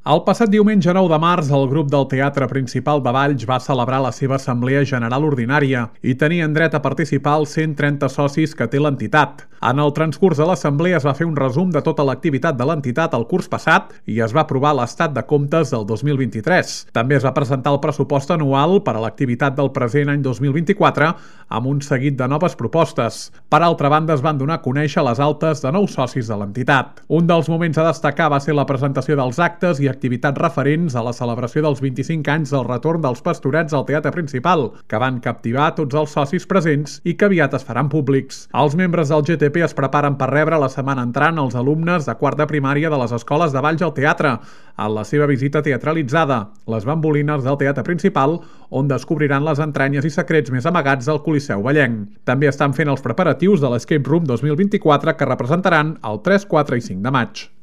El passat diumenge 9 de març, el grup del Teatre Principal de Valls va celebrar la seva Assemblea General Ordinària i tenien dret a participar els 130 socis que té l'entitat. En el transcurs de l'Assemblea es va fer un resum de tota l'activitat de l'entitat el curs passat i es va aprovar l'estat de comptes del 2023. També es va presentar el pressupost anual per a l'activitat del present any 2024 amb un seguit de noves propostes. Per altra banda, es van donar a conèixer les altes de nous socis de l'entitat. Un dels moments a destacar va ser la presentació dels actes i activitats referents a la celebració dels 25 anys del retorn dels Pastorets al Teatre Principal, que van captivar tots els socis presents i que aviat es faran públics. Els membres del GTP es preparen per rebre la setmana entrant els alumnes de quart de primària de les escoles de Valls al teatre, en la seva visita teatralitzada, les bambolines del Teatre Principal, on descobriran les entranyes i secrets més amagats del Coliseu Vallenc. També estan fent els preparatius de l'Escape Room 2024 que representaran el 3, 4 i 5 de maig.